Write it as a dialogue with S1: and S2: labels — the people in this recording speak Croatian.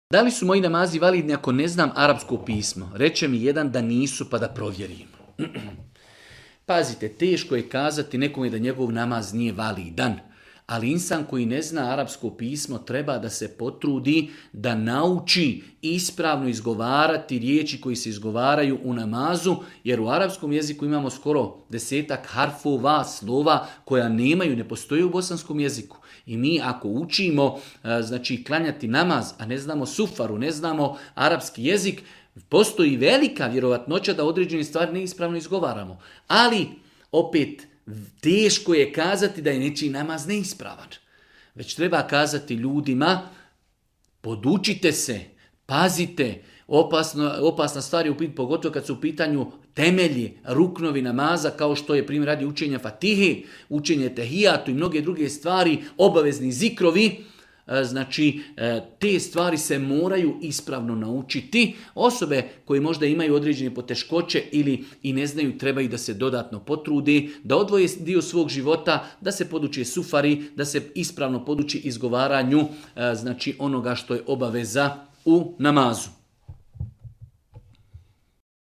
S1: Da li su moji namazi validni ako ne znam arapsko pismo? Reče mi jedan da nisu, pa da provjerim. Pazite, teško je kazati nekome da njegov namaz nije validan. Ali insan koji ne zna arapsko pismo treba da se potrudi da nauči ispravno izgovarati riječi koji se izgovaraju u namazu, jer u arapskom jeziku imamo skoro 10 harfova, slova koja nemaju, ne postoje u bosanskom jeziku. I mi ako učimo klanjati namaz, a ne znamo sufaru, ne znamo arapski jezik, postoji velika vjerovatnoća da određene stvari neispravno izgovaramo. Ali opet teško je kazati da je nečiji namaz neispravan. Već treba kazati ljudima, podučite se, pazite, opasna stvar je pogotovo kad su u pitanju temelji, ruknovi namaza, kao što je primjer radi učenja Fatihe, učenje Tehijatu i mnoge druge stvari, obavezni zikrovi. Te stvari se moraju ispravno naučiti. Osobe koje možda imaju određene poteškoće ili i ne znaju, trebaju da se dodatno potrude, da odvoje dio svog života, da se poduči sufari, da se ispravno poduči izgovaranju onoga što je obaveza u namazu.